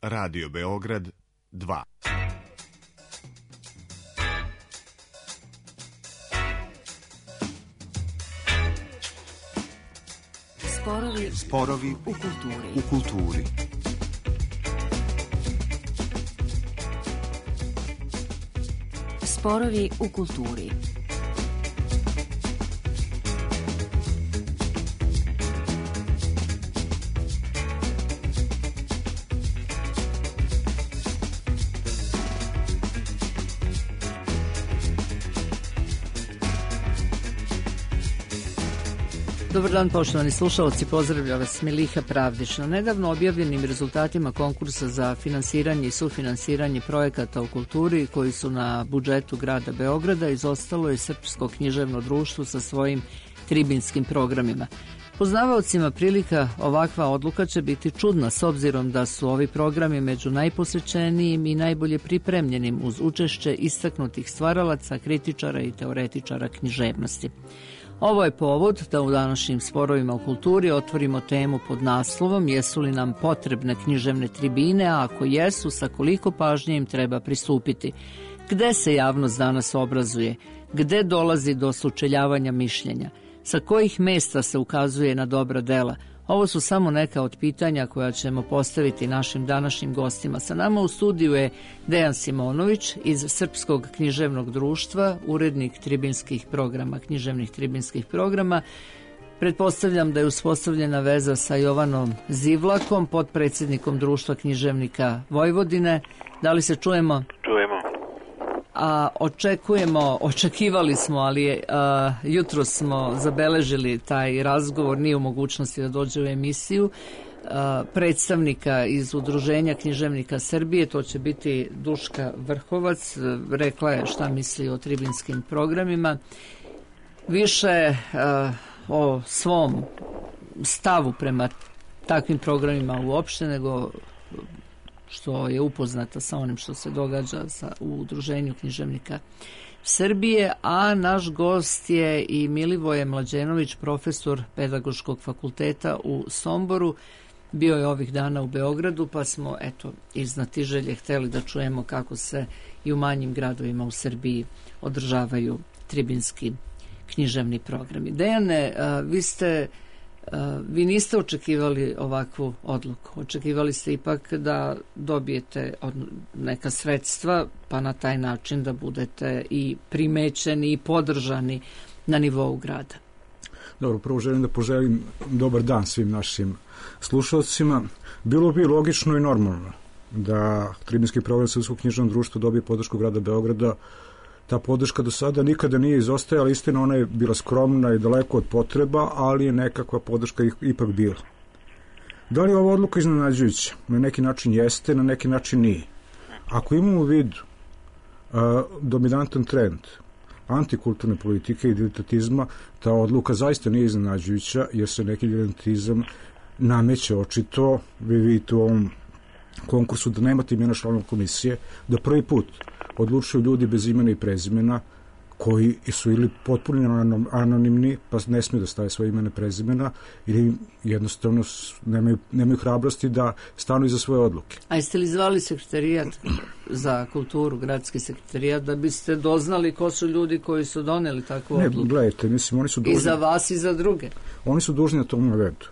Radio Beograd 2. Sporovi u kulturi. Sporovi u kulturi. Dobar dan, poštovani slušalci, pozdravlja vas Miliha Pravdić. Na nedavno objavljenim rezultatima konkursa za finansiranje i sufinansiranje projekata u kulturi koji su na budžetu grada Beograda izostalo je Srpsko književno društvo sa svojim tribinskim programima. Poznavaocima prilika ovakva odluka će biti čudna s obzirom da su ovi programi među najposećenijim i najbolje pripremljenim uz učešće istaknutih stvaralaca, kritičara i teoretičara književnosti. Ovo je povod da u današnjim sporovima u kulturi otvorimo temu pod naslovom jesu li nam potrebne književne tribine, a ako jesu, sa koliko pažnje im treba pristupiti. Gde se javnost danas obrazuje? Gde dolazi do sučeljavanja mišljenja? Sa kojih mesta se ukazuje na dobra dela? Ovo su samo neka od pitanja koja ćemo postaviti našim današnjim gostima. Sa nama u studiju je Dejan Simonović iz Srpskog književnog društva, urednik tribinskih programa, književnih tribinskih programa. Pretpostavljam da je uspostavljena veza sa Jovanom Zivlakom, potpredsjednikom Društva književnika Vojvodine. Da li se čujemo? Čujemo. A očekivali smo, ali jutro smo zabeležili taj razgovor, nije u mogućnosti da dođe u emisiju, predstavnika iz Udruženja književnika Srbije, to će biti Duška Vrhovac, rekla je šta misli o tribinskim programima. Više o svom stavu prema takvim programima uopšte, nego što je upoznata sa onim što se događa u Udruženju književnika Srbije, a naš gost je i Milivoje Mlađenović, profesor Pedagoškog fakulteta u Somboru. Bio je ovih dana u Beogradu, pa smo iz znatiželje hteli da čujemo kako se i u manjim gradovima u Srbiji održavaju tribinski književni programi. Dejane, vi niste očekivali ovakvu odluku. Očekivali ste ipak da dobijete neka sredstva, pa na taj način da budete i primećeni i podržani na nivou grada. Dobro, prvo želim da poželim dobar dan svim našim slušalcima. Bilo bi logično i normalno da tribinski program Srpskog književnog društva dobije podršku grada Beograda. Ta podrška do sada nikada nije izostajala, istina ona je bila skromna i daleko od potreba, ali je nekakva podrška ipak bila. Da li je ova odluka iznenađujuća? Na neki način jeste, na neki način nije. Ako imamo u vidu dominantan trend antikulturne politike i diletantizma, ta odluka zaista nije iznenađujuća, jer se neki diletantizam nameće očito. Vi vidite u ovom konkursu da nemate imena članova komisije, da prvi put odlučuju ljudi bez imena i prezimena koji su ili potpuno anonimni, pa ne smiju da stave svoje imena i prezimena, ili jednostavno nemaju hrabrosti da stanu iza svoje odluke. A jeste li zvali sekretarijat za kulturu, gradski sekretarijat, da biste doznali ko su ljudi koji su doneli takvu odluku? Ne, gledajte, mislim, oni su dužni. I za vas i za druge? Oni su dužni na tom navedu.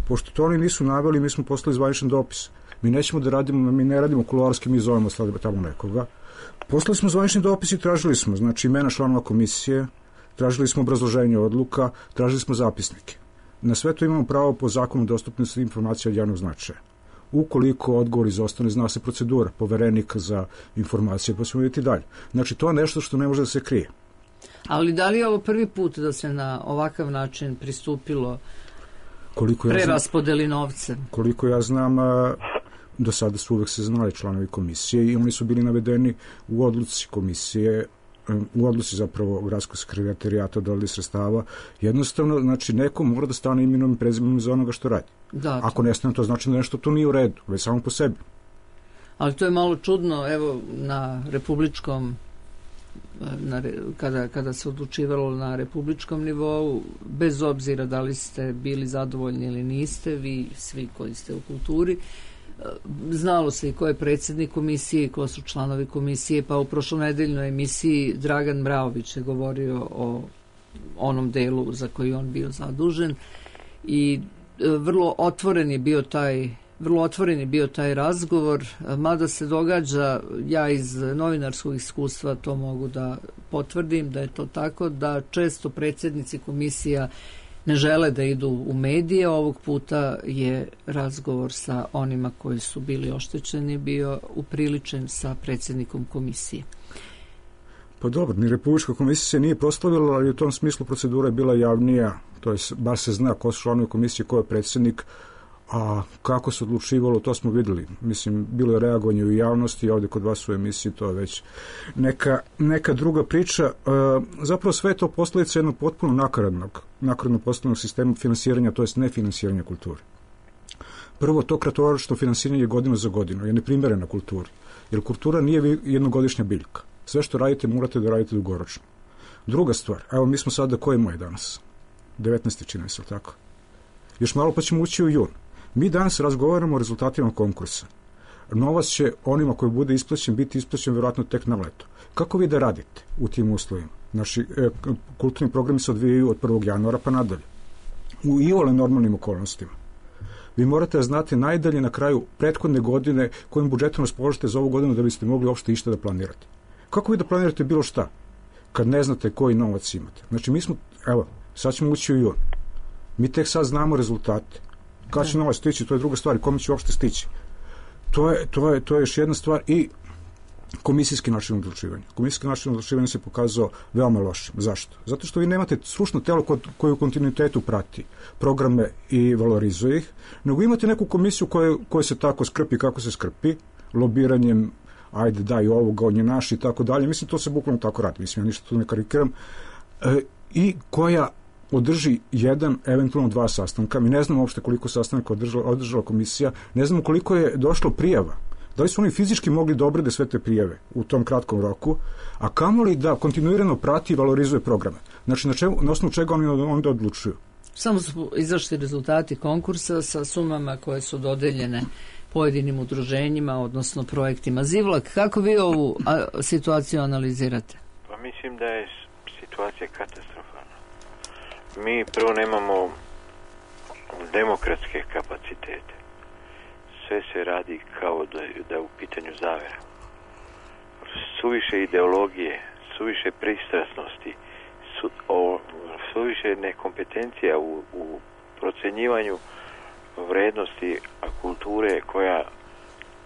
Pošto to oni nisu naveli, mi smo poslali zvaničan dopis. Mi nećemo da radimo, mi ne radimo kuloarski, mi zovemo tamo nekoga. Poslali smo zvanični dopis i tražili smo, znači, imena članova komisije, tražili smo obrazloženje odluka, tražili smo zapisnike. Na sve to imamo pravo po zakonu dostupnosti informacija od javnog značaja. Ukoliko odgovor izostane, zna se procedura poverenika za informacije, pa ćemo vidjeti dalje. Znači, to je nešto što ne može da se krije. Ali da li je ovo prvi put da se na ovakav način pristupilo preraspodeli novce? Koliko ja znam, do sada su uvek se znali članovi komisije i oni su bili navedeni u odluci komisije, u odluci zapravo gradskog sekretarijata dodeli sredstava. Jednostavno, znači, neko mora da stane imenom i prezimenom za onoga što radi. Da, ako ne stane, to znači da nešto tu nije u redu, već samo po sebi. Ali to je malo čudno, evo, na republičkom kada se odlučivalo na republičkom nivou, bez obzira da li ste bili zadovoljni ili niste, vi svi koji ste u kulturi, Znalo se i ko je predsjednik komisije, ko su članovi komisije, pa u prošlonedeljnoj emisiji Dragan Mraović je govorio o onom delu za koji on bio zadužen i vrlo otvoren je bio taj razgovor, mada se događa, ja iz novinarskog iskustva to mogu da potvrdim, da je to tako, da često predsjednici komisija ne žele da idu u medije. Ovog puta je razgovor sa onima koji su bili oštećeni bio upriličen sa predsjednikom komisije. Pa dobro, ni Republička komisija se nije proslavila, ali u tom smislu procedura je bila javnija, to je, bar se zna ko su članovi komisije, ko je predsjednik, a kako se odlučivalo, to smo vidjeli. Mislim, bilo je reagovanje u javnosti, ovdje kod vas u emisiji, to je već neka druga priča. Zapravo sve je to posljedica jednog potpuno nakaradno postavljenog sistema finansiranja, to jest nefinansiranja kulture. Prvo, to kratkoročno finansiranje godinu za godinu je neprimjereno kulturi, jer kultura nije jednogodišnja biljka. Sve što radite morate da radite dugoročno. Druga stvar, evo mi smo sada, koji je danas? 19. čini se, tako? Još malo pa ćemo ući u jun. Mi danas razgovaramo o rezultatima konkursa. Novac će onima koji bude isplaćen biti isplaćen vjerojatno tek na leto. Kako vi da radite u tim uslovima? Naši kulturni programi se odvijaju od 1. januara pa nadalje. U iole normalnim okolnostima. Vi morate da znate najdalje na kraju prethodne godine kojim budžetom raspoložite za ovu godinu da biste mogli uopšte išta da planirate. Kako vi da planirate bilo šta kad ne znate koji novac imate? Znači mi smo, evo, sad ćemo ući u jun. Mi tek sad znamo rezultate. Kada će novac stići, to je druga stvar. Kome će uopšte stići? To je još jedna stvar. I komisijski način odlučivanja. Komisijski način odlučivanja se pokazao veoma lošim. Zašto? Zato što vi nemate stručno telo koje u kontinuitetu prati programe i valorizuje ih, nego imate neku komisiju koja se tako skrpi kako se skrpi, lobiranjem, ajde daj ovoga, on je naš i tako dalje. Mislim, to se bukvalno tako radi. Mislim, ja ništa tu ne karikiram. I koja održi jedan, eventualno 2 sastanka. Mi ne znamo uopšte koliko sastanaka održala komisija, ne znamo koliko je došlo prijava. Da li su oni fizički mogli da obrade sve te prijave u tom kratkom roku, a kamoli da kontinuirano prati i valorizuje programe. Znači, na osnovu čega oni onda odlučuju? Samo su izašli rezultati konkursa sa sumama koje su dodeljene pojedinim udruženjima, odnosno projektima. Zivlak, kako vi ovu situaciju analizirate? Pa mislim da je situacija katastrofalna. Mi prvo nemamo demokratske kapacitete. Sve se radi kao da je u pitanju zavera. Suviše ideologije, suviše pristrasnosti, suviše nekompetencija u procenjivanju vrednosti kulture koja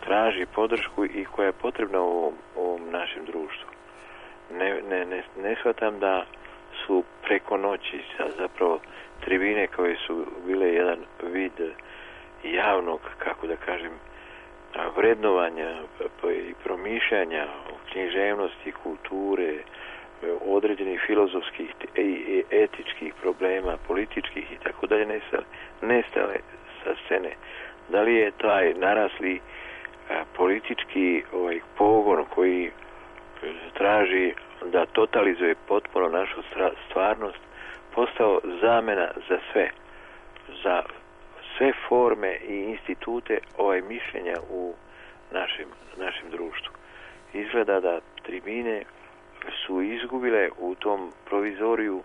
traži podršku i koja je potrebna u ovom našem društvu. Ne shvatam da su preko noći zapravo tribine koje su bile jedan vid javnog, kako da kažem, vrednovanja i promišljanja o književnosti, kulture, određenih filozofskih i etičkih problema, političkih i tako dalje nestale sa scene. Da li je taj narasli politički pogon koji traži da totalizuje potpuno našu stvarnost postao zamena za sve forme i institute mišljenja u našem društvu. Izgleda da tribine su izgubile u tom provizoriju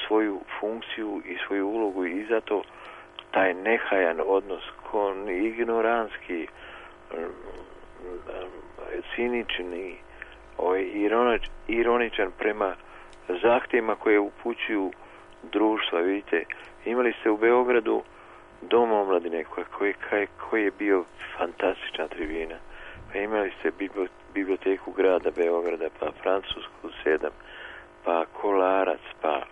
svoju funkciju i svoju ulogu i zato taj nehajan odnos, ignorantski, cinični, ironičan prema zahtjevima koje upućuju društva. Vidite, imali ste u Beogradu Dom omladine koji je bio fantastična tribina. Pa imali ste biblioteku grada Beograda, pa Francusku 7, pa Kolarac, pa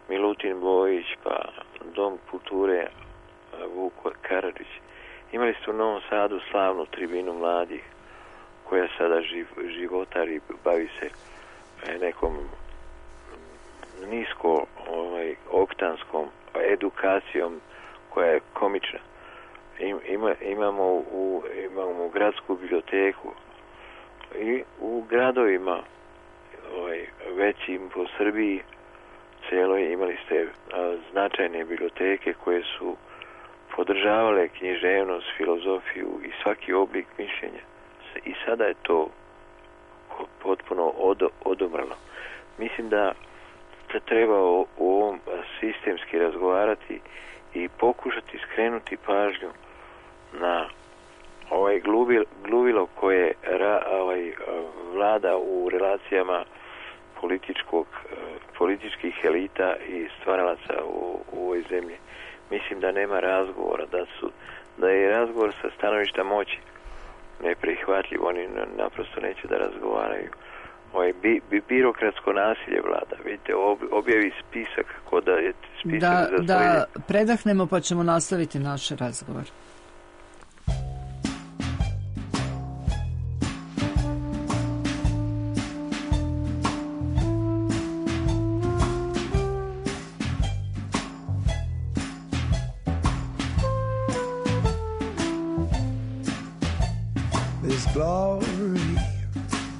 Milutin Bojić, pa Dom kulture Vuko Karadžić. Imali ste u Novom Sadu slavnu tribinu mladih koja sada životari, bavi se nekom nisko oktanskom edukacijom koja je komična. Imamo u gradsku biblioteku i u gradovima većim po Srbiji celoj imali ste značajne biblioteke koje su podržavale književnost, filozofiju i svaki oblik mišljenja. I sada je to potpuno odomrlo. Mislim da treba o ovom sistemski razgovarati i pokušati skrenuti pažnju na ovaj gluvilo koje vlada u relacijama političkih elita i stvaralaca u ovoj zemlji. Mislim da nema razgovora, da je razgovor sa stanovišta moći neprihvatljiv, oni naprosto neće da razgovaraju. Birokratsko nasilje vlada, vidite, objavi spisak kako da je spisak da predahnemo pa ćemo nastaviti naš razgovor. Glory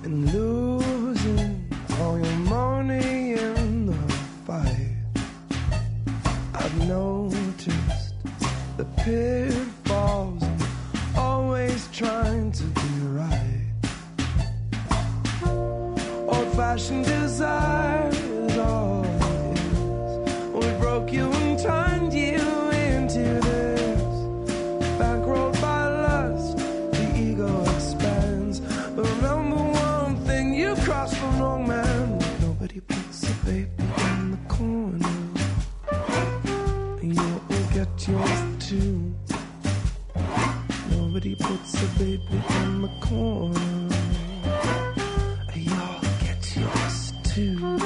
in losing all your money in the fight. I've noticed the pitfalls and always trying to be right. Old-fashioned desire is all it is. We broke you and turned you into this bankrolled by lust. The ego expands. But remember one thing, you crossed the wrong man. Nobody puts a baby in the corner. You'll get yours too. Nobody puts a baby in the corner. You'll get yours too.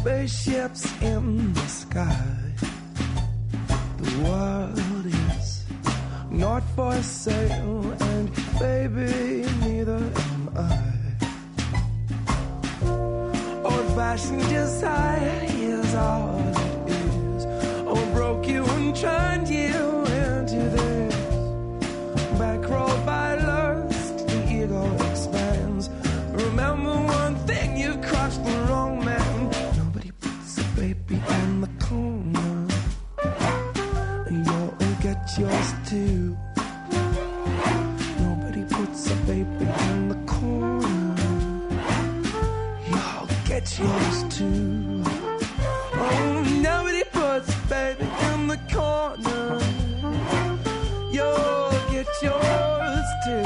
Spaceships in the sky. The world is not for sale, and baby, neither am I. Old-fashioned desire is all it is. Oh, broke you and turned you into this bankrolled by lust. The ego expands. Remember one thing, you crossed the wrong man. Baby in the corner, and you'll get yours too. Nobody puts a baby in the corner. You'll get yours too. Oh, nobody puts a baby in the corner. You'll get yours too.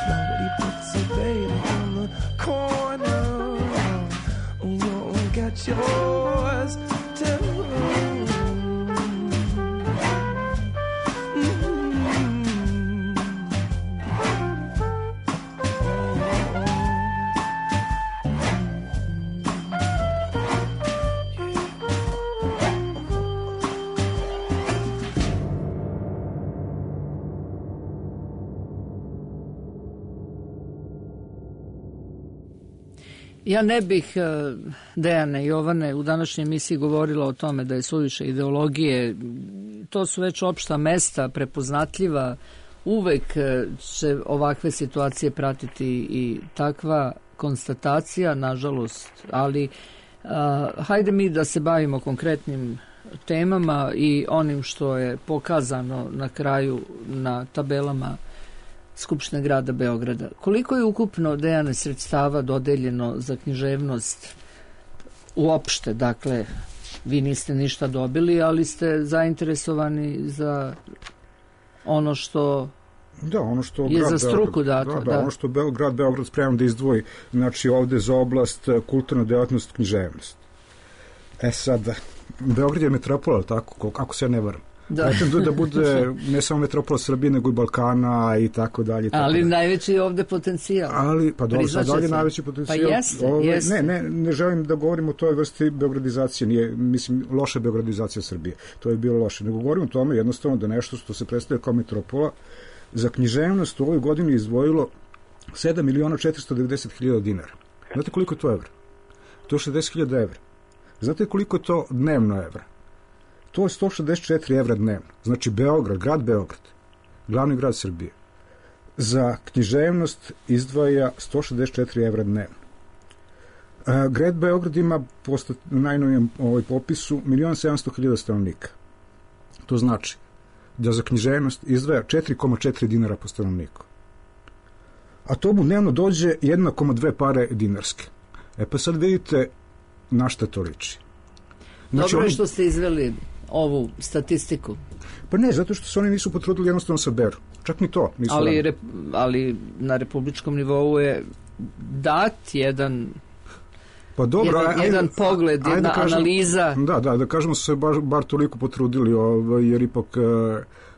Nobody puts a baby in the corner. Get yours too. Ja ne bih, Dejane, Jovane, u današnjoj emisiji govorila o tome da je suviše ideologije. To su već opšta mesta, prepoznatljiva. Uvek će ovakve situacije pratiti i takva konstatacija, nažalost. Ali hajde mi da se bavimo konkretnim temama i onim što je pokazano na kraju na tabelama Skupštine grada Beograda. Koliko je ukupno, Dejane, sredstava dodeljeno za književnost uopšte? Dakle, vi niste ništa dobili, ali ste zainteresovani za ono što je za struku dato. Da, ono što grad Beograd spreman da izdvoji, znači ovde za oblast kulturna delatnost, književnost. Sad, Beograd je metropola, tako, ako se ja ne varam. Da bude ne samo metropola Srbije, nego i Balkana i tako dalje. Ali najveći je ovde potencijal. Pa dobro, sad dalje najveći potencijal. Pa jeste. Ne želim da govorim o toj vrsti beogradizacije, nije, mislim, loša beogradizacija Srbije. To je bilo loše. Nego govorim o tome jednostavno da nešto što se predstavlja kao metropola za književnost u ovoj godini izdvojilo 7.490.000 dinara. Znate koliko je to evra? To je 60.000 evra. Znate koliko je to dnevno evra? To je 164 evra dnevno. Znači Beograd, grad Beograd, glavni grad Srbije, za književnost izdvaja 164 evra dnevno. Grad Beograd ima po najnovijem popisu 1.700.000 stanovnika. To znači da za književnost izdvaja 4,4 dinara po stanovniku. A to mu dnevno dođe 1,2 pare dinarske. Pa sad vidite na šta to liči. Znači, dobro je što ste izveli ovu statistiku. Pa ne, zato što se oni nisu potrudili jednostavno saberu. Čak ni to nisu. Ali na republičkom nivou je dat jedan... Pa dobro, jedan pogled, jedna analiza. Da kažemo su se bar toliko potrudili, jer ipak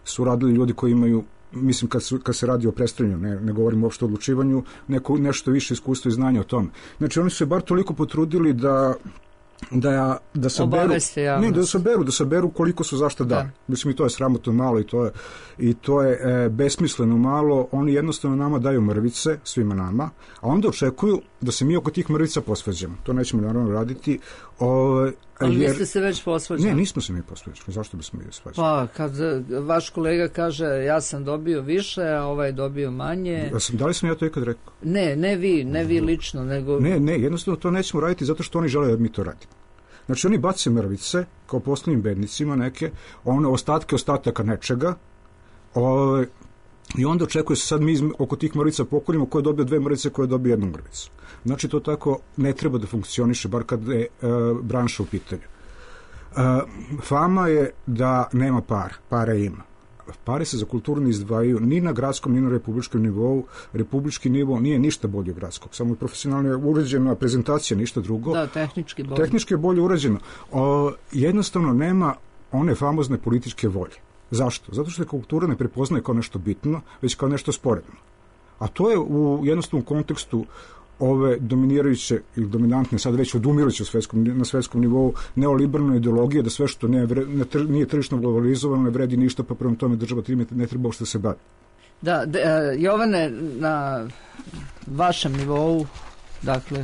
su radili ljudi koji imaju, mislim kad se radi o predstavljanju, ne govorimo uopšte o odlučivanju, nešto više iskustva i znanja o tome. Znači oni su se bar toliko potrudili da saberu koliko su zašto dali. Mislim i to je sramotno malo i to je besmisleno malo. Oni jednostavno nama daju mrvice, svima nama, a onda očekuju da se mi oko tih mrvica posvađamo. To nećemo naravno raditi. Ali vi ste se već posvađali? Ne, nismo se mi posvađali. Zašto bismo mi svađali? Pa, kad vaš kolega kaže ja sam dobio više, a ovaj dobio manje... Da li sam ja to ikad rekao? Ne vi lično, nego... Ne, jednostavno to nećemo raditi zato što oni žele da mi to radimo. Znači oni bace mrvice, kao poslovnim bednicima neke, one ostataka nečega, i onda očekuje se sad mi oko tih mrvica pokorimo ko je dobio 2 mrvice, ko je dobio 1 mrvicu. Znači to tako ne treba da funkcioniše, bar kad je branša u pitanju. Fama je da nema pare ima. Pare se za kulturu ne izdvajaju ni na gradskom, ni na republičkom nivou. Republički nivo nije ništa bolje od gradskog. Samo je profesionalno uređena prezentacija, ništa drugo. Da, tehnički bolje. Tehnički je bolje urađeno. Jednostavno nema one famozne političke volje. Zašto? Zato što kultura ne prepoznaje kao nešto bitno, već kao nešto sporedno. A to je u jednostavnom kontekstu ove dominirajuće ili dominantne, sad već odumiruće na svetskom nivou neoliberalne ideologije, da sve što nije tržišno globalizovano ne vredi ništa, pa prema tome država ne treba uopšte se bavi. Da, Jovane, na vašem nivou, dakle,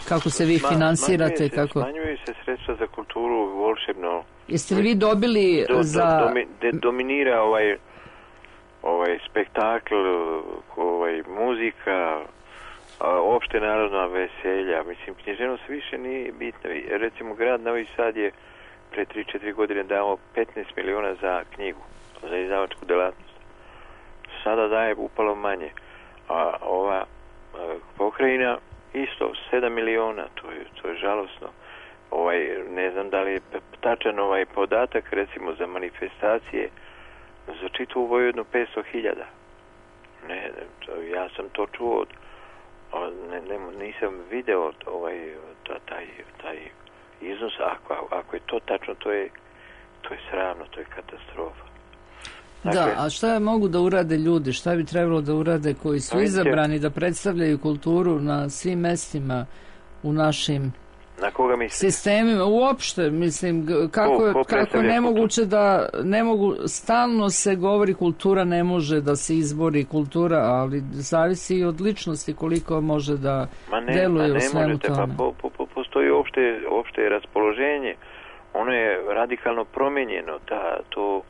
kako se vi finansirate? Smanjuju se sredstva za kulturu volšebno. Jeste li vi dobili dominira ovaj spektakl, muzika, opšte narodna veselja. Mislim, književnost više nije bitna. Recimo, grad Novi Sad je pre 3-4 godine dao 15 miliona za knjigu, za izdavačku delatnost. Sada daje upalo manje. A ova pokrajina isto 7 miliona, to je žalosno. Ne znam da li je tačan podatak, recimo za manifestacije za čitavu Vojvodinu 500.000. Ne, ja sam to čuo, nisam video taj iznos. Ako je to tačno, to je sramno, to je katastrofa. Dakle, da, a šta mogu da urade ljudi? Šta bi trebalo da urade koji su izabrani da predstavljaju kulturu na svim mestima u našim sistemima? Uopšte, mislim, kako je nemoguće da stalno se govori kultura ne može da se izbori kultura, ali zavisi i od ličnosti koliko može da deluje u svemu tome. Postoji opšte raspoloženje, ono je radikalno promenjeno, to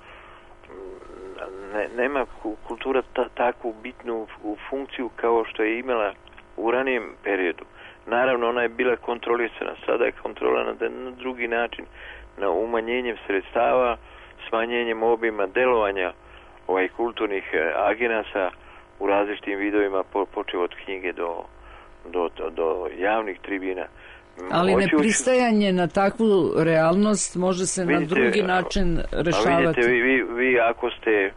nema kultura takvu bitnu funkciju kao što je imala u ranijem periodu. Naravno, ona je bila kontrolisana, sada je kontrolana na drugi način, na umanjenjem sredstava, smanjenjem obima delovanja kulturnih agenasa u različitim vidovima, počeo od knjige do javnih tribina. Ali nepristajanje na takvu realnost može se na drugi način rešavati. Vidite, vi ako ste,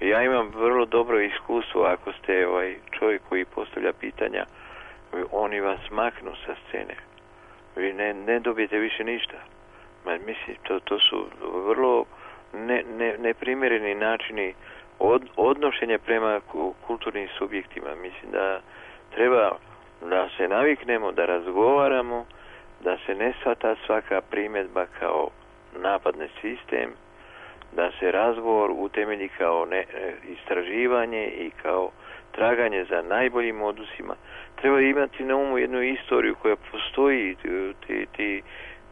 ja imam vrlo dobro iskustvo, ako ste čovjek koji postavlja pitanja, oni vas maknu sa scene. Vi ne dobijete više ništa. Mislim, to su vrlo neprimjereni načini odnošenja prema kulturnim subjektima. Mislim da treba da se naviknemo, da razgovaramo, da se ne shvata svaka primjedba kao napad na sistem, da se razgovor utemelji kao istraživanje i kao traganje za najboljim odusima. Treba imati na umu jednu istoriju koja postoji,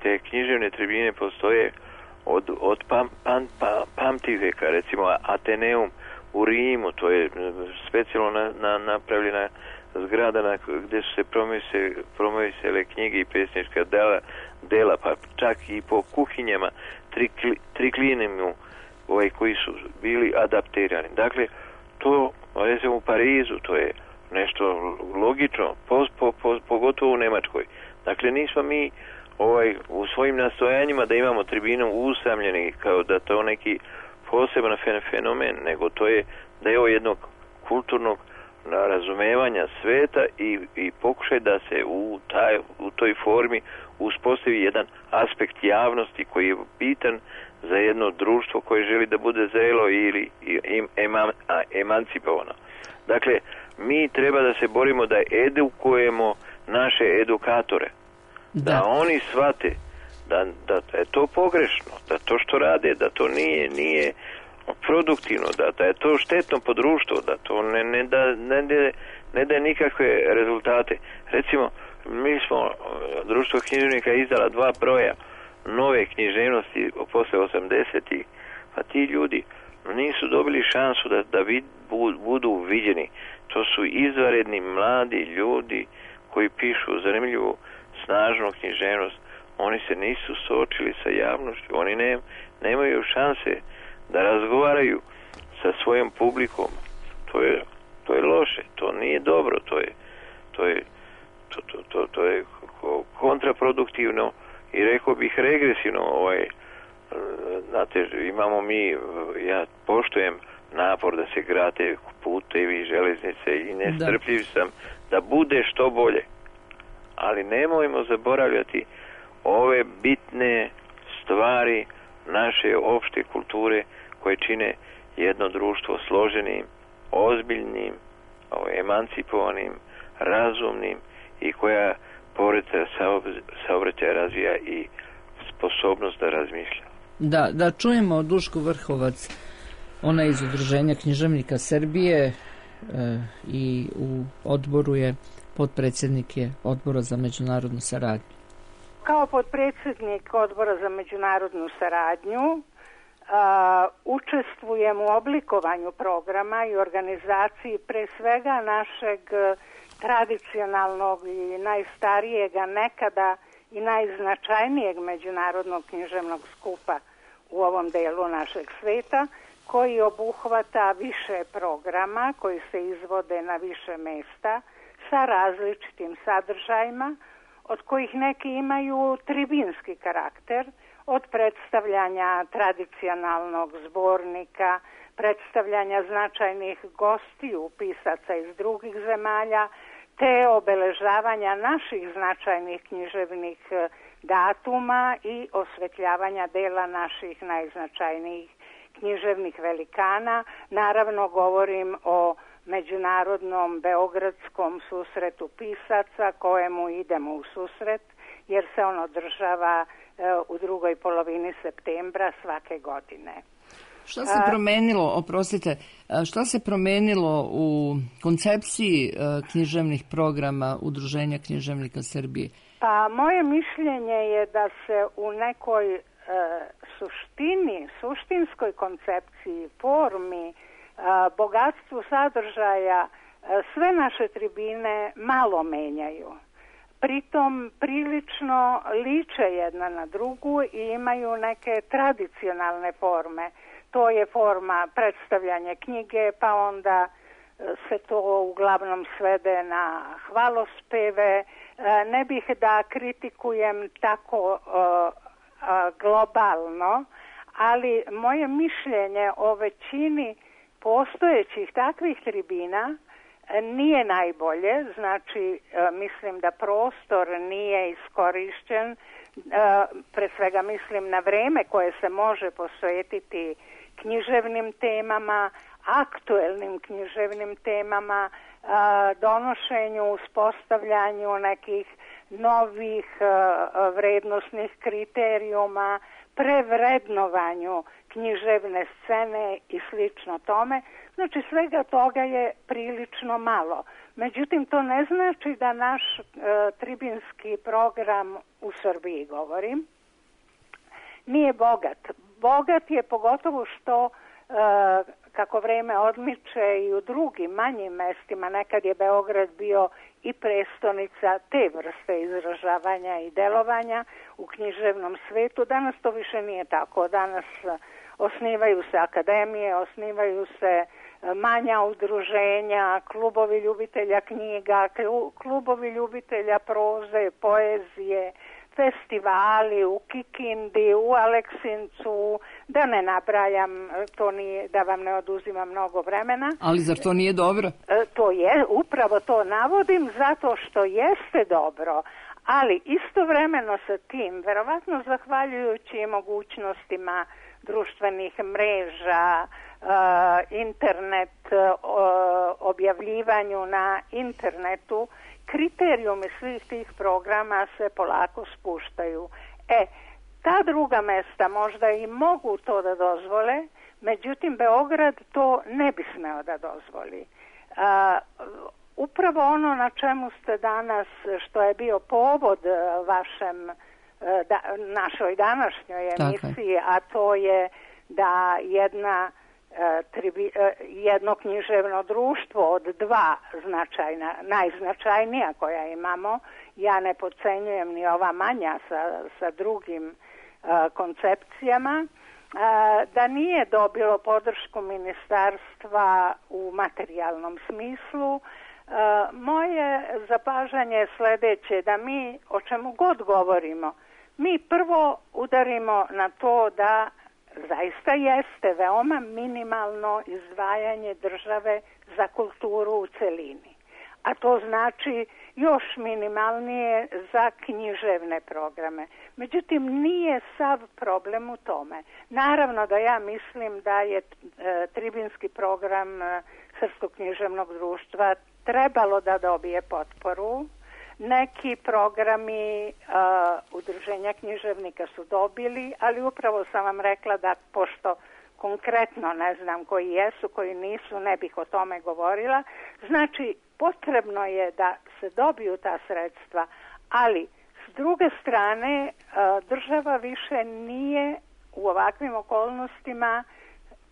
te književne tribine postoje od pamtiveka, recimo Ateneum u Rimu, to je specijalno napravljena zgrada gdje su se promovisale knjige i pesnička dela, pa čak i po kuhinjama triklinimu koji su bili adaptirani. Dakle, to, recimo u Parizu, to je nešto logično, pogotovo u Nemačkoj. Dakle, nismo mi u svojim nastojanjima da imamo tribinu usamljeni kao da to neki poseban fenomen, nego to je deo jednog kulturnog razumevanja sveta i pokušaj da se u toj formi uspostavi jedan aspekt javnosti koji je bitan za jedno društvo koje želi da bude zrelo ili emancipovano. Dakle, mi treba da se borimo da edukujemo naše edukatore. Da oni shvate da je to pogrešno, da to što rade, da to nije produktivno, da je to štetno po društvu, da to ne daje nikakve rezultate. Recimo, mi smo, društvo književnika izdala 2 broja nove književnosti posle 80-ih, pa ti ljudi nisu dobili šansu da budu viđeni. To su izvanredni mladi ljudi koji pišu zanimljivu, snažnu književnost. Oni se nisu suočili sa javnošću, oni nemaju šanse da razgovaraju sa svojom publikom. To je loše, to nije dobro, to je kontraproduktivno i rekao bih regresivno. Znate, imamo ja poštujem napor da se grade putevi, železnice i nestrpljiv sam da bude što bolje. Ali nemojmo zaboravljati ove bitne stvari naše opšte kulture koje čine jedno društvo složenim, ozbiljnim, emancipovanim, razumnim i koja pored saobraćaja razvija i sposobnost da razmišlja. Da čujemo Dušku Vrhovac, ona iz Udruženja književnika Srbije i u odboru je potpredsjednik je Odbora za međunarodnu saradnju. Kao potpredsjednik Odbora za međunarodnu saradnju učestvujem u oblikovanju programa i organizaciji pre svega našeg tradicionalnog i najstarijega nekada i najznačajnijeg međunarodnog književnog skupa u ovom delu našeg sveta, koji obuhvata više programa koji se izvode na više mesta sa različitim sadržajima, od kojih neki imaju tribinski karakter, od predstavljanja tradicionalnog zbornika, predstavljanja značajnih gostiju, pisaca iz drugih zemalja, te obeležavanja naših značajnih književnih datuma i osvetljavanja dela naših najznačajnijih književnih velikana. Naravno, govorim o međunarodnom beogradskom susretu pisaca kojemu idemo u susret jer se on održava u drugoj polovini septembra svake godine. Šta se promenilo, šta se promenilo u koncepciji književnih programa Udruženja književnika Srbije? Pa moje mišljenje je da se u nekoj suštinskoj koncepciji, formi, bogatstvu sadržaja sve naše tribine malo menjaju. Pritom prilično liče jedna na drugu i imaju neke tradicionalne forme. To je forma predstavljanja knjige, pa onda se to uglavnom svede na hvalospeve. Ne bih da kritikujem tako globalno, ali moje mišljenje o većini postojećih takvih tribina nije najbolje, znači mislim da prostor nije iskorišćen, pre svega mislim na vreme koje se može posvetiti književnim temama, aktuelnim književnim temama, donošenju, uspostavljanju nekih novih vrednosnih kriterijuma, prevrednovanju književne scene i slično tome. Znači svega toga je prilično malo. Međutim, to ne znači da naš tribinski program u Srbiji, govorim, nije bogat. Bogat je pogotovo što kako vreme odmiče i u drugim manjim mestima, nekad je Beograd bio i prestonica te vrste izražavanja i delovanja u književnom svetu. Danas to više nije tako. Danas osnivaju se akademije, osnivaju se manja udruženja, klubovi ljubitelja knjiga, klubovi ljubitelja proze, poezije, festivali u Kikindi, u Aleksincu, da ne nabrajam, to nije, da vam ne oduzimam mnogo vremena. Ali zar to nije dobro? To je, upravo to navodim, zato što jeste dobro, ali istovremeno sa tim, verovatno zahvaljujući mogućnostima društvenih mreža, internet, objavljivanju na internetu, kriterijumi svih tih programa se polako spuštaju. Ta druga mesta možda i mogu to da dozvole, međutim Beograd to ne bi smeo da dozvoli. Upravo ono na čemu ste danas, što je bio povod našoj današnjoj emisiji, a to je da jedno književno društvo od dva značajna, najznačajnija koja imamo, ja ne podcenjujem ni ova manja sa drugim koncepcijama, da nije dobilo podršku ministarstva u materijalnom smislu. Moje zapažanje je sledeće, da mi, o čemu god govorimo, mi prvo udarimo na to da zaista jeste veoma minimalno izdvajanje države za kulturu u celini. A to znači još minimalnije za književne programe. Međutim, nije sav problem u tome. Naravno da ja mislim da je tribinski program Srpskog književnog društva trebalo da dobije potporu. Neki programi udruženja književnika su dobili, ali upravo sam vam rekla da, pošto konkretno ne znam koji jesu, koji nisu, ne bih o tome govorila. Znači, potrebno je da se dobiju ta sredstva, ali s druge strane država više nije u ovakvim okolnostima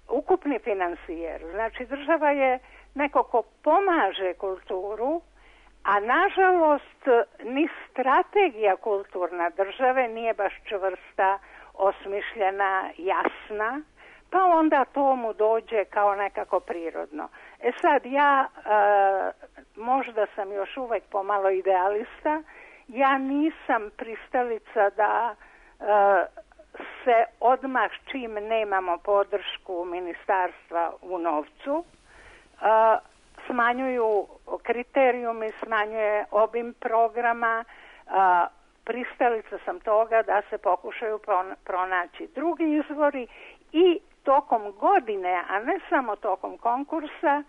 ukupni finansijer. Znači, država je neko ko pomaže kulturu, a nažalost ni strategija kulturna države nije baš čvrsta, osmišljena, jasna, pa onda to mu dođe kao nekako prirodno. Sad ja, možda sam još uvek pomalo idealista, ja nisam pristalica da se odmah čim nemamo podršku ministarstva u novcu, smanjuju kriterijumi, smanjuje obim programa, pristalica sam toga da se pokušaju pronaći drugi izvori i tokom godine, a ne samo tokom konkursa,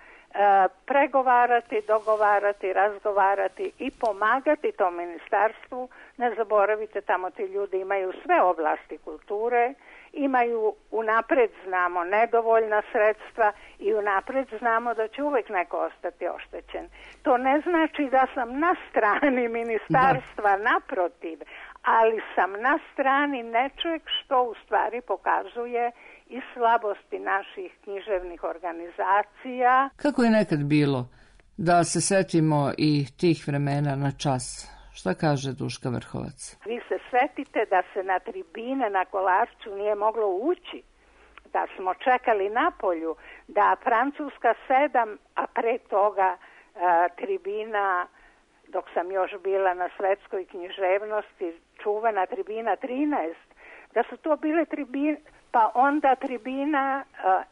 pregovarati, dogovarati, razgovarati i pomagati tom ministarstvu. Ne zaboravite, tamo ti ljudi imaju sve oblasti kulture, imaju, unapred znamo, nedovoljna sredstva i unapred znamo da će uvek neko ostati oštećen. To ne znači da sam na strani ministarstva, naprotiv, ali sam na strani nečeg što u stvari pokazuje i slabosti naših književnih organizacija. Kako je nekad bilo? Da se setimo i tih vremena na čas. Šta kaže Duška Vrhovac? Vi se setite da se na tribine na Kolarcu nije moglo ući, da smo čekali napolju, da Francuska 7, a pre toga tribina, dok sam još bila na svetskoj književnosti, čuvena tribina 13, da su to bile tribine, pa onda tribina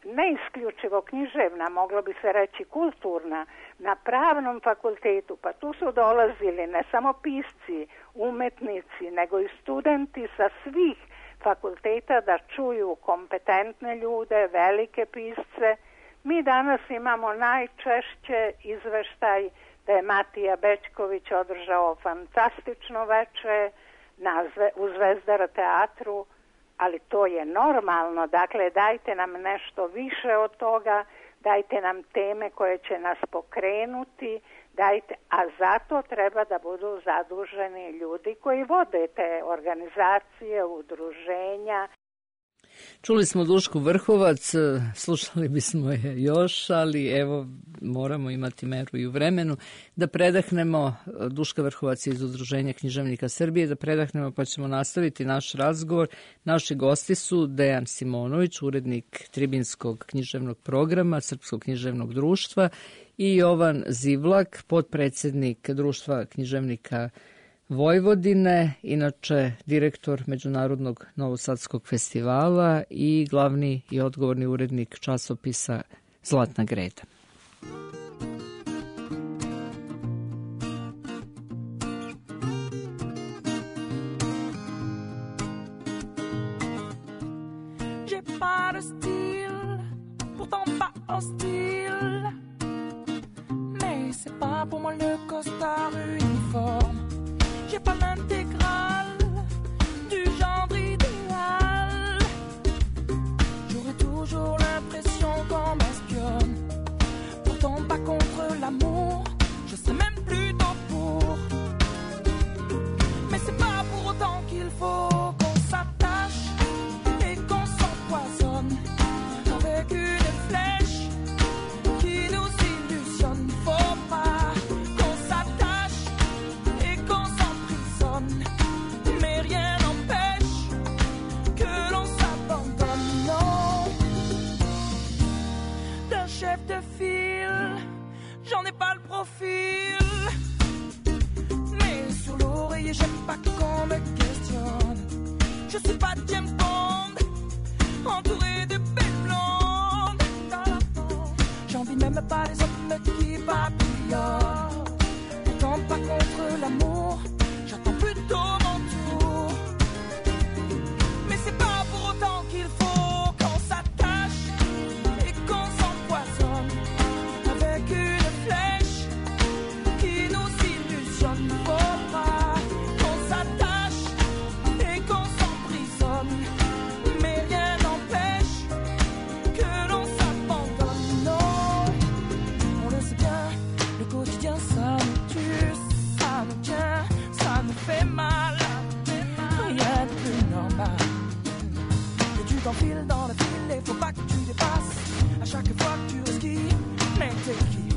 ne isključivo književna, moglo bi se reći kulturna, na Pravnom fakultetu, pa tu su dolazili ne samo pisci, umetnici, nego i studenti sa svih fakulteta da čuju kompetentne ljude, velike pisce. Mi danas imamo najčešće izveštaj da je Matija Bećković održao fantastično veče u Zvezdara teatru, ali to je normalno. Dakle, dajte nam nešto više od toga, dajte nam teme koje će nas pokrenuti, a zato treba da budu zaduženi ljudi koji vode te organizacije, udruženja. Čuli smo Dušku Vrhovac, slušali bismo je još, ali evo moramo imati meru i u vremenu. Da predahnemo, Duška Vrhovac iz Udruženja književnika Srbije, da predahnemo pa ćemo nastaviti naš razgovor. Naši gosti su Dejan Simonović, urednik Tribinskog književnog programa Srpskog književnog društva, i Jovan Zivlak, potpredsjednik Društva književnika Vojvodine, inače direktor Međunarodnog Novosadskog festivala i glavni i odgovorni urednik časopisa Zlatna greda. J'ai pas de style, pourtant pas hostile, mais c'est pas pour moi le costard uniforme. J'ai pas l'intégrale du genre idéal. J'aurais toujours l'impression qu'on m'espionne. Pourtant pas contre l'amour, je sais même plutôt pour. Mais c'est pas pour autant qu'il faut qu'on s'attache et qu'on s'empoisonne avec une flèche qui nous illusionne. Faut pas qu'on s'attache et qu'on s'emprisonne, mais rien n'empêche que l'on s'abandonne. Non, d'un chef de file, j'en ai pas le profil, mais sur l'oreiller j'aime pas qu'on me questionne. Je suis pas James Bond, entouré de belles blondes. J'envie même pas les hommes qui papillonnent. Pourtant pas contre l'amour, j'attends plutôt mon tour. Mais c'est pas pour autant qu'il faut qu'on s'attache et qu'on s'empoisonne avec une flèche qui nous illusionne. Faut pas qu'on s'attache et qu'on s'emprisonne, mais rien n'empêche que l'on s'abandonne. Non, on le sait bien, le quotidien ça nous tue, ça nous tient, ça nous fait mal. Rien de plus normal. Et tu t'enfiles dans le fil et faut pas que tu dépasses. À chaque fois que tu resquilles, mais t'es qui?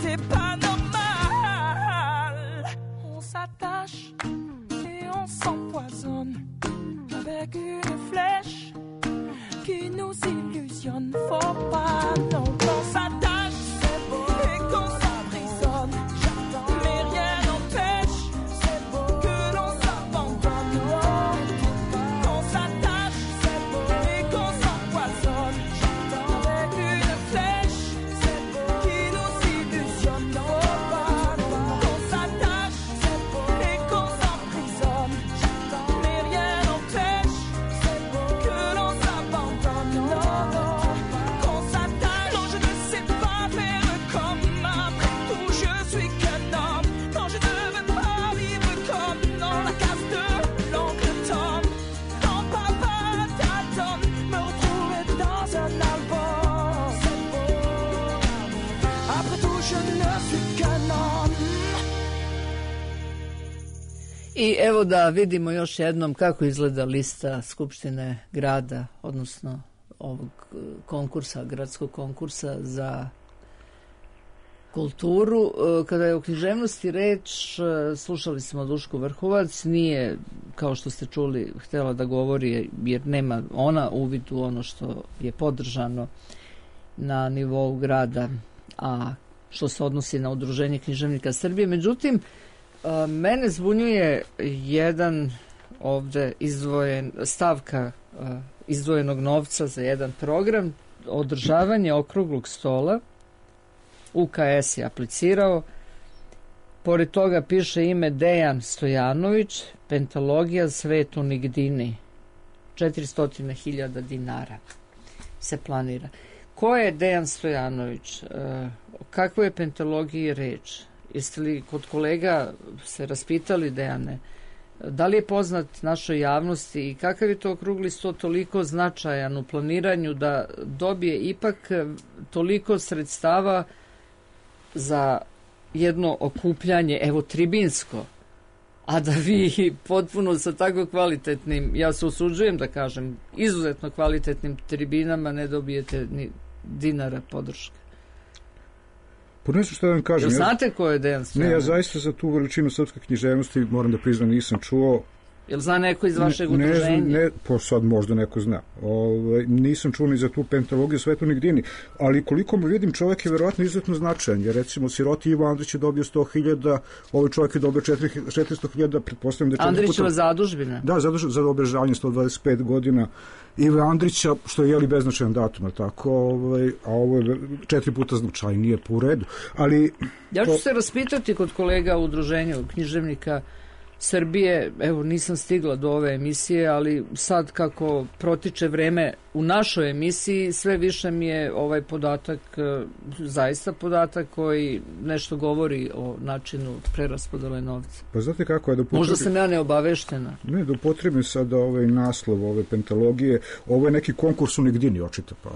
T'es pas normal. On s'attache et on s'empoisonne avec une flèche qui nous illusionne. Faut pas non qu'on s'attache et qu'on s'emprisonne, mais rien n'empêche que l'on s'abandonne. Non, qu'on s'attache et qu'on s'empoisonne avec une flèche qui nous illusionne. Faut pas qu'on s'attache et qu'on s'emprisonne, mais rien n'empêche que l'on s'abandonne. Non, qu'on s'attache. Non, je ne sais pas faire comme après tout, je suis qu'un homme. Non, je ne veux pas vivre comme dans la case de l'oncle Tom. Quand papa t'attend, me retrouver dans un album. Après tout, je ne suis qu'un homme. I evo da vidimo još jednom kako izgleda lista Skupštine grada, odnosno ovog konkursa, gradskog konkursa za kulturu. Kada je o književnosti reč, slušali smo Dušku Vrhovac, nije, kao što ste čuli, htjela da govori jer nema ona uvid u ono što je podržano na nivou grada, a što se odnosi na Udruženje književnika Srbije. Međutim, mene zbunjuje jedan ovde stavka izdvojenog novca za jedan program, održavanje okruglog stola. UKS je aplicirao, pored toga piše ime Dejan Stojanović, pentalogija Svetu Nigdini, 400.000 dinara se planira. Ko je Dejan Stojanović? O kakvoj je pentalogiji reč? Jeste li kod kolega se raspitali, Dejane, da li je poznat našoj javnosti i kakav je to okrugli sto toliko značajan u planiranju da dobije ipak toliko sredstava za jedno okupljanje, evo tribinsko, a da vi potpuno sa tako kvalitetnim, ja se usuđujem da kažem, izuzetno kvalitetnim tribinama ne dobijete ni dinara podrške. Pa ne znam što da vam kažem. Jel znate ko je Dejan Stojanov? Ne, ja zaista za tu veličinu srpske književnosti moram da priznam nisam čuo. Jel zna neko iz vašeg udruženja? Ne, pa sad možda neko zna. Nisam čuo ni za tu pentalogiju Svetu Nigdini, ali koliko mu vidim, čovjek je verovatno izuzetno značajan, jer recimo siroti Ivo Andrić je dobio 100.000, ovaj čovjek je dobio 400.000, pretpostavljam da je Andrićeva zadužbina? Da, za obeležavanje 125 godina Ive Andrića, što je jeli beznačajan datum, tako, a ovo je 4 puta značajnije po redu. Ali, ja ću se raspitati kod kolega u udruženju književnika Srbije, evo nisam stigla do ove emisije, ali sad kako protiče vreme u našoj emisiji, sve više mi je ovaj podatak, zaista podatak koji nešto govori o načinu preraspodele novca. Pa znate kako je da možda sam ja neobaveštena. Ne, da upotrebim sada ovaj naslov ove pentalogije, ovo je neki konkurs u Nigdini, očito, pa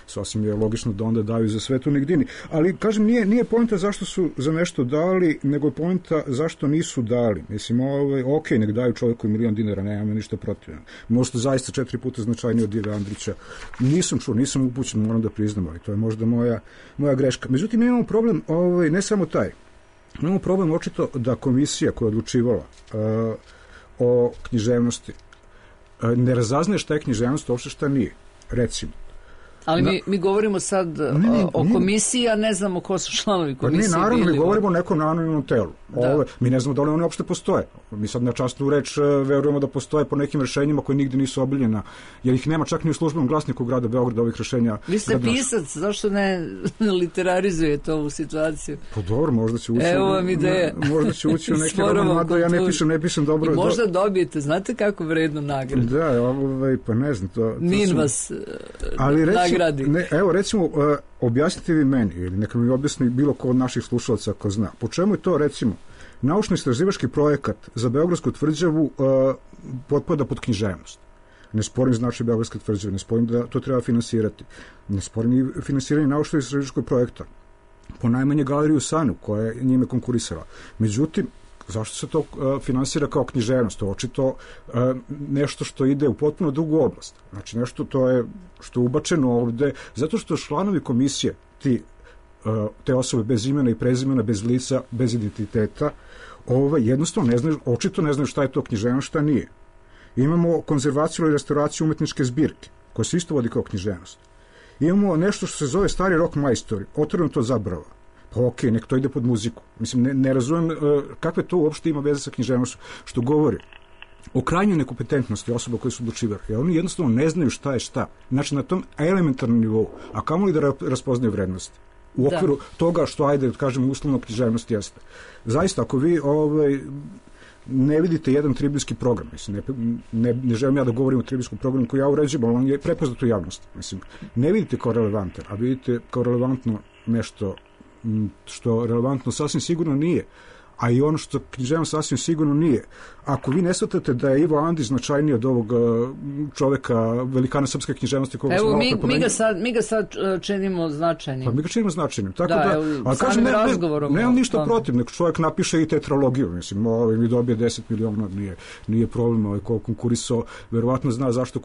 sasvim je logično da onda daju za Svetu Nigdini. Ali, kažem, nije poenta zašto su za nešto dali, nego je poenta zašto nisu dali. Mislim, ok, nek daju čovjeku $1.000.000, nemam ništa protiv. Možda zaista 4 puta značajnije od Ive Andrića. Nisam čuo, nisam upućen, moram da priznam, ali to je možda moja greška. Međutim, imamo problem, ne samo taj. Imamo problem očito da komisija koja je odlučivala o književnosti ne razaznaje šta je književnost, uopšte šta nije. Recimo. Ali mi govorimo sad o komisiji, a ne znamo ko su članovi komisije. Pa naravno, mi govorimo o nekom anonimnom telu. Mi ne znamo da li one uopšte postoje. Mi sad na časnu reč verujemo da postoje po nekim rešenjima koje nigde nisu obiljena, jer ih nema čak ni u službenom glasniku grada Beograda ovih rešenja. Vi ste pisac, zašto ne literarizujete ovu situaciju? Pa dobro, možda će ući. Evo vam ideja. Možda će ući u neki roman, mada ja ne pišem dobro. I možda dobijete, znate kako vrednu nagradu. Da, pa ne znam. Nin vas nagradi. Evo, recimo, objasnite vi meni, ili neka mi objasni bilo ko od naših slušalaca ako zna. Po čemu je to, recimo, naučno-istraživački projekat za Beogradsku tvrđavu potpada pod književnost? Ne sporim značaj Beogradske tvrđave, ne sporim da to treba finansirati. Ne sporim i finansiranje naučno-istraživačkog projekta. Po najmanje galeriju Sanu, koja je njime konkurisala. Međutim, zašto se to finansira kao književnost? To je očito nešto što ide u potpuno drugu oblast. Znači nešto to je što je ubačeno ovde, zato što članovi komisije, te osobe bez imena i prezimena, bez lica, bez identiteta, jednostavno ne znaju, očito ne znaju šta je to književnost, šta nije. Imamo konzervaciju i restauraciju umetničke zbirke, koja se isto vodi kao književnost. Imamo nešto što se zove stari rock majstori, otvoreno to zabrava. Pa ok, nek to ide pod muziku. Mislim, ne razumem kakve to uopšte ima veze sa književnošću, što govori o krajnjoj nekompetentnosti osoba koje su odlučivali. Jer oni jednostavno ne znaju šta je šta. Znači, na tom elementarnom nivou, a kamoli da raspoznaju vrednosti. U okviru toga što, ajde, kažem, uslovno književnost jeste. Zaista, ako vi ne vidite jedan tribinski program, mislim, ne želim ja da govorim o tribinskom programu koji ja uređujem, ali on je prepoznat u javnosti. Mislim, ne vidite kao relevantan, a vidite kao relevantno nešto što relevantno sasvim sigurno nije, a i ono što književnost sasvim sigurno nije. Ako vi ne shvatate da je Ivo Andrić značajniji od ovog čoveka, velikana srpske književnosti koga evo, mi ga sad činimo značajnim. Pa mi ga činimo značajnim. Tako ali kažem, nemam ništa protiv, nek čovjek napiše i tetralogiju, mislim, mi dobije 10 miliona, nije problem, ko konkurisao, verovatno zna zašto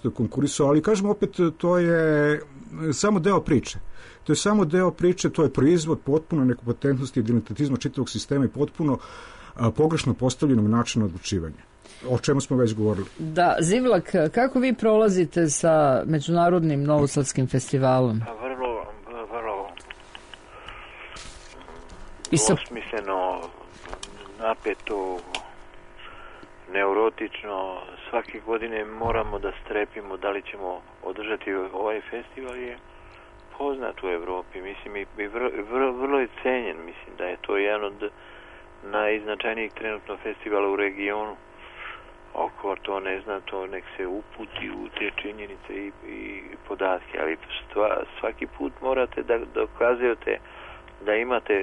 je konkurisao, ali kažem opet, to je samo deo priče. To je samo deo priče, to je proizvod potpuno nekompetentnosti i identitetizma čitavog sistema i potpuno pogrešno postavljenog načina odlučivanja. O čemu smo već govorili. Da, Zivlak, kako vi prolazite sa Međunarodnim Novosadskim festivalom? Vrlo osmisleno, napeto, neurotično. Svake godine moramo da strepimo da li ćemo održati ovaj festival, je poznat u Evropi, mislim, i vrlo je cenjen, mislim da je to jedan od najznačajnijih trenutno festivala u regionu. Oko to ne zna, to nek se uputi u te činjenice i podatke, ali svaki put morate da dokazujete da imate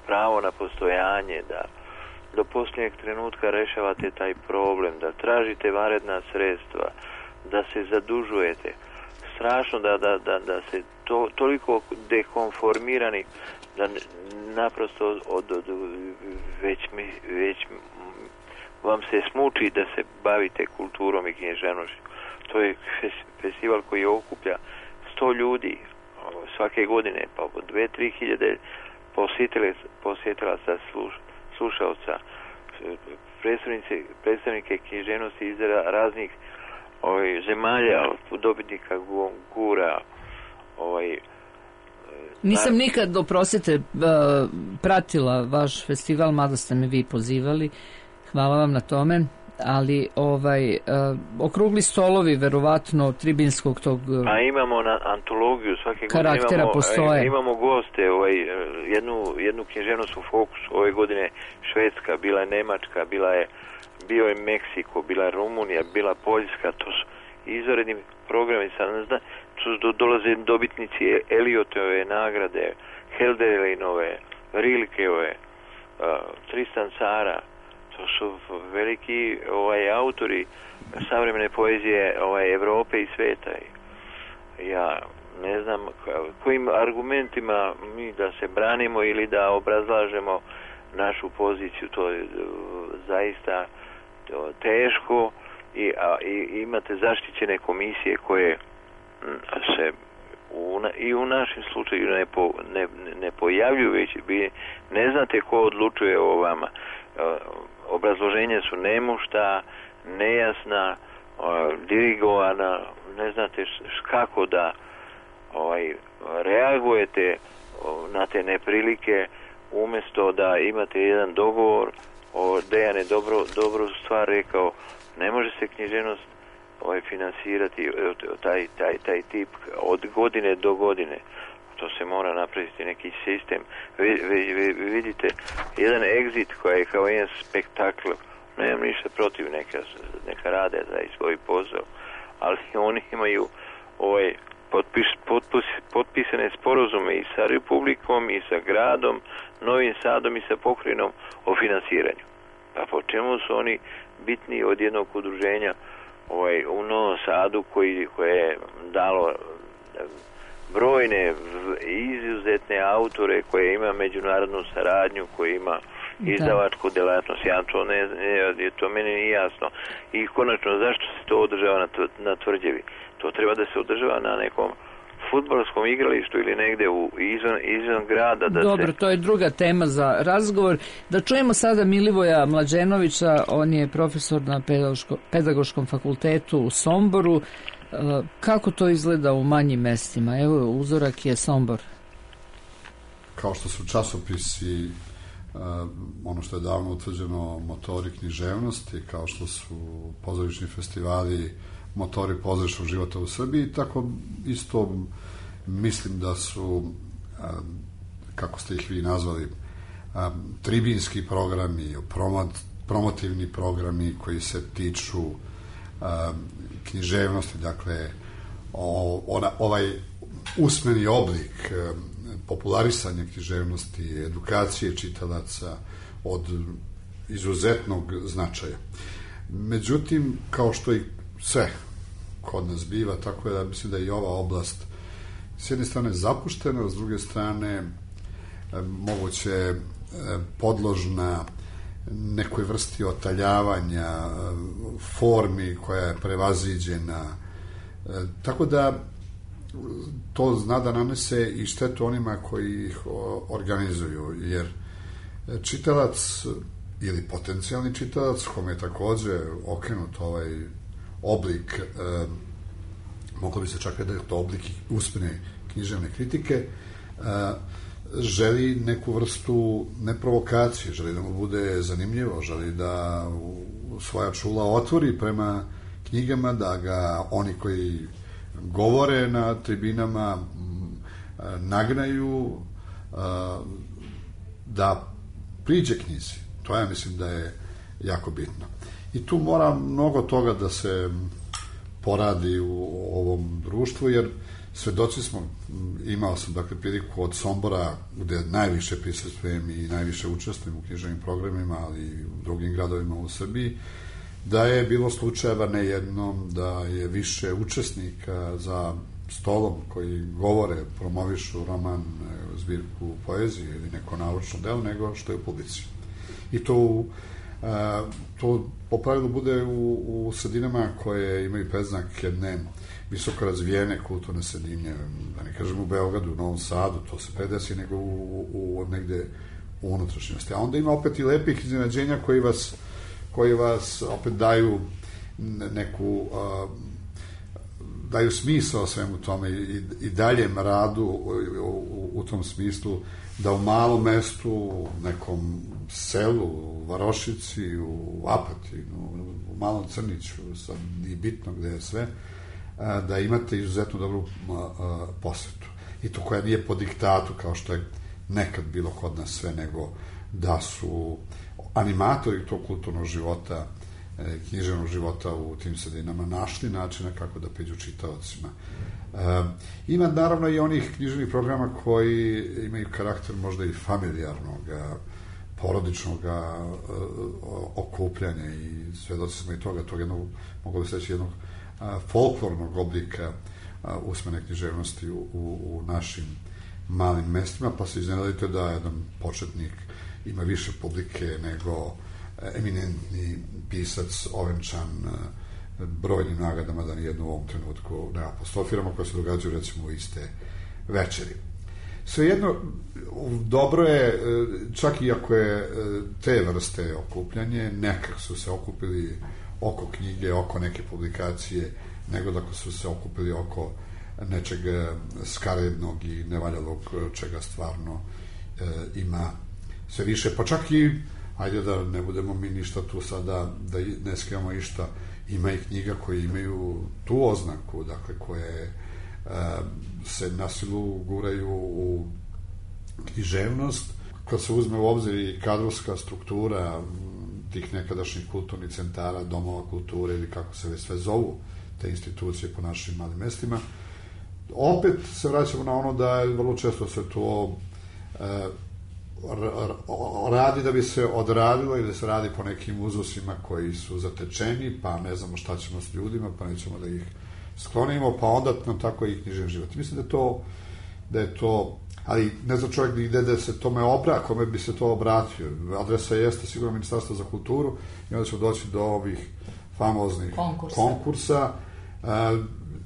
pravo na postojanje, da do posljednjeg trenutka rešavate taj problem, da tražite vanredna sredstva, da se zadužujete. Strašno da se toliko dekonformirani da naprosto već vam se smuči da se bavite kulturom i književnošću. To je festival koji okuplja 100 ljudi svake godine, pa oko 2-3 hiljade posjetilaca, slušalca, predstavnike književnosti iz raznih zemalja, dobitnika Gura. Nisam nikad, oprostite, pratila vaš festival, mada ste me vi pozivali. Hvala vam na tome. Ali okrugli stolovi verovatno tribinskog tog a imamo na antologiju svake karaktera godine postoje. Imamo goste, jednu književnost u fokusu. Ove godine Švedska, bila je Nemačka, bio je Meksiko, bila je Rumunija, bila Poljska. To su izvanredni programi. Dolaze dobitnici Eliotove nagrade, Helderlinove, Rilkeove, Tristan Tzara. To su veliki autori savremene poezije Evrope i sveta. Ja ne znam kojim argumentima mi da se branimo ili da obrazlažemo našu poziciju. To je zaista teško i imate zaštićene komisije koje se i u našem slučaju ne pojavljuju, već ne znate ko odlučuje o vama. Obrazloženja su nemušta, nejasna, dirigovana, ne znate kako da reagujete na te neprilike, umjesto da imate jedan dogovor. Dejan je dobru stvar rekao, ne može se književnost finansirati taj tip od godine do godine. To se mora napraviti neki sistem. Vidite, jedan Exit koji je kao jedan spektakl, nemam ništa protiv, neka rade za svoj posao, ali oni imaju potpisane sporazume i sa Republikom i sa gradom Novim Sadom i sa pokrajinom o finansiranju. Pa po čemu su oni bitni od jednog udruženja u Novom Sadu koje je dalo brojne izuzetne autore, koje ima međunarodnu saradnju, koje ima izdavačku delatnost. To meni nije jasno. I konačno, zašto se to održava na Tvrđevi? To treba da se održava na nekom fudbalskom igralištu ili negde izvan grada. Dobro, to je druga tema za razgovor. Da čujemo sada Milivoja Mlađenovića, on je profesor na Pedagoškom fakultetu u Somboru. Kako to izgleda u manjim mestima? Evo, uzorak je Sombor. Kao što su časopisi, ono što je davno utvrđeno, motori književnosti, kao što su pozorišni festivali, motori pozorišnog života u Srbiji, tako isto mislim da su, kako ste ih vi nazvali, tribinski programi, promotivni programi koji se tiču književnosti, dakle ovaj usmeni oblik popularisanja književnosti, edukacije čitalaca od izuzetnog značaja. Međutim, kao što i sve kod nas biva, tako je da mislim da je i ova oblast s jedne strane zapuštena, s druge strane moguće podložna nekoj vrsti otaljavanja, formi koja je prevaziđena. Tako da to zna da nanese i štetu onima koji ih organizuju, jer čitalac ili potencijalni čitalac, kome je takođe okrenut ovaj oblik, moglo bi se čak da je to oblik usmene književne kritike, želi neku vrstu neprovokacije, želi da mu bude zanimljivo, želi da svoja čula otvori prema knjigama, da ga oni koji govore na tribinama nagnaju da priđe knjizi. To ja mislim da je jako bitno. I tu mora mnogo toga da se poradi u ovom društvu, jer svedoci smo, imao sam dakle priliku od Sombora, gde najviše prisustvujem i najviše učestvujem u književnim programima, ali i u drugim gradovima u Srbiji, da je bilo slučajeva ne jednom da je više učesnika za stolom koji govore, promovišu roman, zbirku poezije ili neko naučno delo, nego što je u publici. I to po pravilu bude u sredinama koje imaju predznak jedne visoko razvijene kulturne sredine, da ne kažem u Beogradu, u Novom Sadu, to se predesi, nego negde u unutrašnjosti. A onda ima opet i lepih iznenađenja koji vas opet daju neku daju smisao svemu tome i daljem radu u tom smislu da u malom mestu, u nekom selu, u Varošici, u Apatinu, u Malom Crniću, sad nije bitno gde je sve, da imate izuzetno dobru posvetu. I to koja nije po diktatu, kao što je nekad bilo kod nas sve, nego da su animatori tog kulturnog života, književnog života u tim sredinama našli načina kako da priđu čitaocima. Ima naravno i onih književnih programa koji imaju karakter možda i familijarnog, porodičnog okupljanja i svedoci smo i toga, tog jednog, mogu bi se reći, jednog folklornog oblika usmene književnosti u našim malim mestima, pa se iznenadite da jedan početnik ima više publike nego eminentni pisac ovenčan brojnim nagradama, da nijedno u ovom trenutku ne apostrofiramo, koje se događaju recimo u iste večeri. Svejedno, dobro je, čak i ako je te vrste okupljanje, nekak su se okupili oko knjige, oko neke publikacije, nego da su se okupili oko nečeg skarednog i nevaljalog, čega stvarno ima sve više, pa čak i, ajde da ne budemo mi ništa tu sada, da ne skrivamo išta, ima i knjiga koje imaju tu oznaku, dakle, koje se na silu guraju u književnost. Kad se uzme u obzir i kadrovska struktura tih nekadašnjih kulturnih centara, domova kulture ili kako se sve zovu te institucije po našim malim mestima, opet se vraćamo na ono da vrlo često se to radi da bi se odradilo ili da se radi po nekim uzusima koji su zatečeni, pa ne znamo šta ćemo s ljudima, pa nećemo da ih sklonimo, pa onda nam tako i književni život. Mislim da je to, ali ne zna čovjek gde da se tome kome bi se to obratio. Adresa jeste sigurno Ministarstvo za kulturu i onda ćemo doći do ovih famoznih konkursa.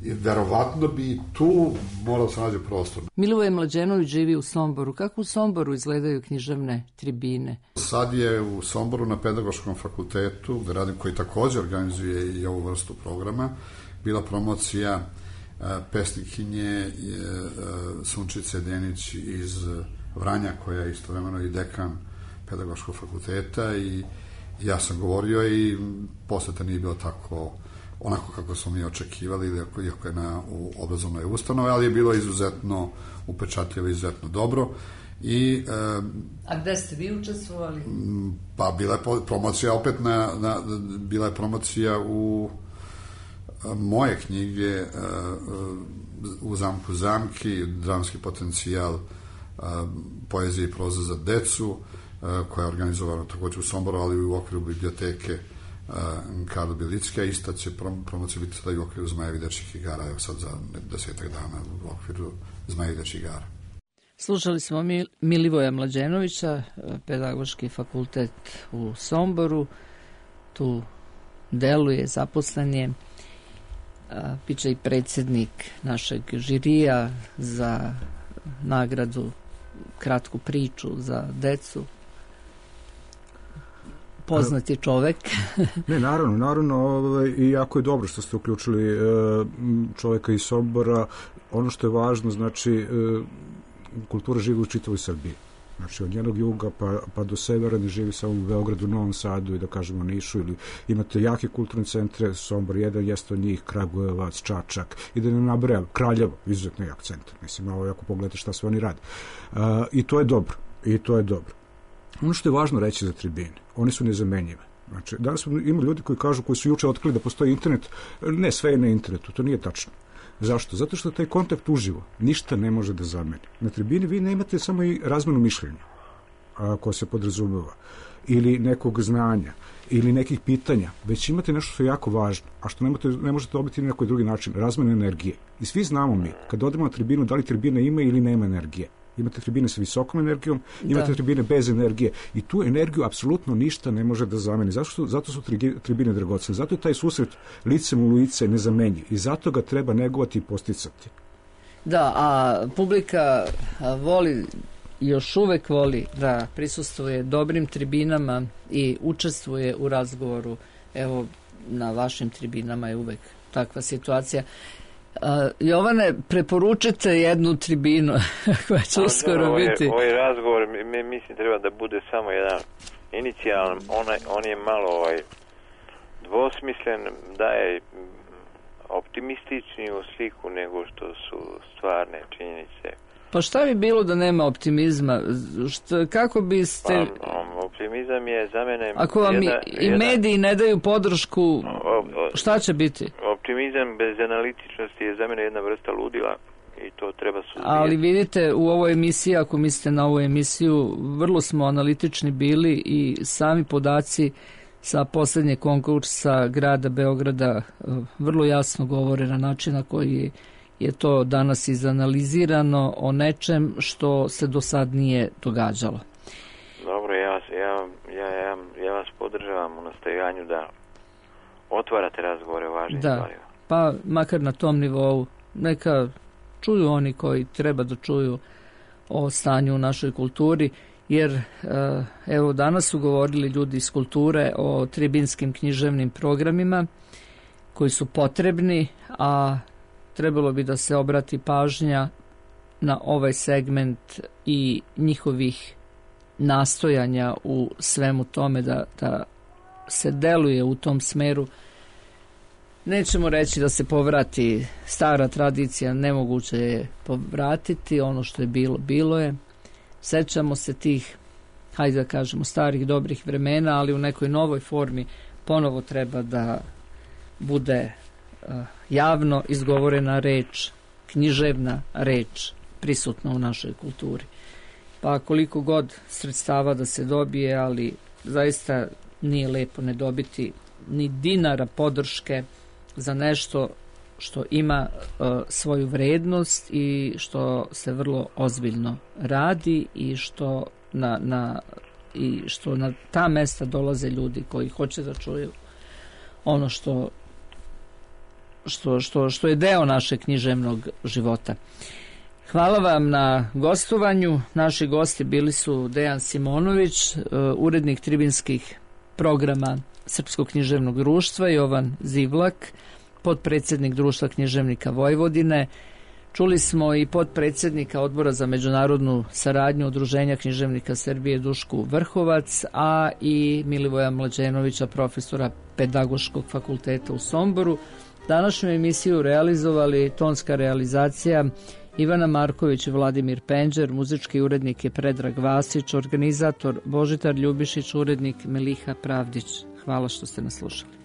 Verovatno bi tu morao se nađe prostor. Milivoje Mlađenović živi u Somboru. Kako u Somboru izgledaju književne tribine? Sad je u Somboru na Pedagoškom fakultetu, gde radim, koji takođe organizuje i ovu vrstu programa, bila promocija pesnikinje Sunčice Denić iz Vranja, koja je istovremeno i dekan Pedagoškog fakulteta, i ja sam govorio i poseta nije bilo tako onako kako smo mi očekivali, iako je u obrazovnoj ustanovi, ali je bilo izuzetno upečatljivo, izuzetno dobro. A gde ste vi učestvovali? Pa bila je promocija opet bila je promocija u moje knjige u Zamku zamki, dramski potencijal poezije i proza za decu, koja je organizovana takođe u Somboru, ali i u okviru biblioteke Karlo Bjelicka. Ista će promocija biti sada i u okviru Zmajevi dečjih igara, evo sad za 10 dana u okviru Zmajevi dečjih igara. Slušali smo Milivoja Mlađenovića, Pedagoški fakultet u Somboru, tu deluje, zaposlen je, piče i predsjednik našeg žirija za nagradu kratku priču za decu. Poznati čovek. Ne, naravno, i jako je dobro što ste uključili čoveka iz Sombora. Ono što je važno, znači, kultura živi u čitavoj Srbiji. Znači, od njenog juga pa do severa, ne živi samo u Beogradu, Novom Sadu i da kažemo Nišu, ili imate jake kulturne centre, Sombor jedan jeste od njih, Kragujevac, Čačak, i da ne nabrajam, Kraljevo, izuzetno jak centar. Mislim, ovo ako pogledate šta sve oni rade. I to je dobro. Ono što je važno reći za tribine, one su nezamenjive. Znači, danas ima ljudi koji kažu, koji su juče otkrili da postoji internet, ne, sve je na internetu, to nije tačno. Zašto? Zato što taj kontakt uživo ništa ne može da zameni. Na tribini vi nemate samo i razmenu mišljenja, koja se podrazumeva, ili nekog znanja, ili nekih pitanja, već imate nešto što je jako važno, a što ne možete dobiti na nekoj drugi način, razmenu energije. I svi znamo mi, kad odemo na tribinu, da li tribina ima ili nema energije. Imate tribine sa visokom energijom, imate tribine bez energije i tu energiju apsolutno ništa ne može da zameni. Zato su tribine dragocene. Zato je taj susret licem u lice nezamenjiv i zato ga treba negovati i posticati. Da, a publika voli, još uvek voli da prisustvuje dobrim tribinama i učestvuje u razgovoru. Evo, na vašim tribinama je uvek takva situacija. Jovane, preporučite jednu tribinu koja će uskoro biti. Ovaj razgovor, mislim, treba da bude samo jedan inicijalan, on je malo dvosmislen, daje optimističniju sliku nego što su stvarne činjenice. Pa šta bi bilo da nema optimizma? Kako biste... Optimizam je za mene... Ako vam i mediji ne daju podršku, šta će biti? Optimizam bez analitičnosti je za mene jedna vrsta ludila i to treba suzbijati. Ali vidite, u ovoj emisiji, ako mislite na ovu emisiju, vrlo smo analitični bili i sami podaci sa posljednjeg konkursa grada Beograda vrlo jasno govore na način na koji je to danas izanalizirano o nečem što se do sad nije događalo. Dobro, ja vas podržavam u nastojanju da otvarate razgovore o važnim stvarima. Pa makar na tom nivou neka čuju oni koji treba da čuju o stanju u našoj kulturi, jer evo danas su govorili ljudi iz kulture o tribinskim književnim programima koji su potrebni, a trebalo bi da se obrati pažnja na ovaj segment i njihovih nastojanja u svemu tome da se deluje u tom smeru. Nećemo reći da se povrati stara tradicija, nemoguće je povratiti, ono što je bilo, bilo je. Sećamo se tih, hajde da kažemo, starih dobrih vremena, ali u nekoj novoj formi ponovo treba da bude javno izgovorena reč, književna reč prisutna u našoj kulturi. Pa koliko god sredstava da se dobije, ali zaista nije lepo ne dobiti ni dinara podrške za nešto što ima svoju vrednost i što se vrlo ozbiljno radi i što na ta mesta dolaze ljudi koji hoće da čuju ono što je deo našeg književnog života. Hvala vam na gostovanju. Naši gosti bili su Dejan Simonović, urednik tribinskih programa Srpskog književnog društva, Jovan Zivlak, potpredsjednik Društva književnika Vojvodine. Čuli smo i potpredsjednika Odbora za međunarodnu saradnju Udruženja književnika Srbije Dušku Vrhovac, a i Milivoja Mlađenovića, profesora Pedagoškog fakulteta u Somboru. Današnju emisiju realizovali tonska realizacija Ivana Marković i Vladimir Penđer, muzički urednik je Predrag Vasić, organizator Božitar Ljubišić, urednik Meliha Pravdić. Hvala što ste nas slušali.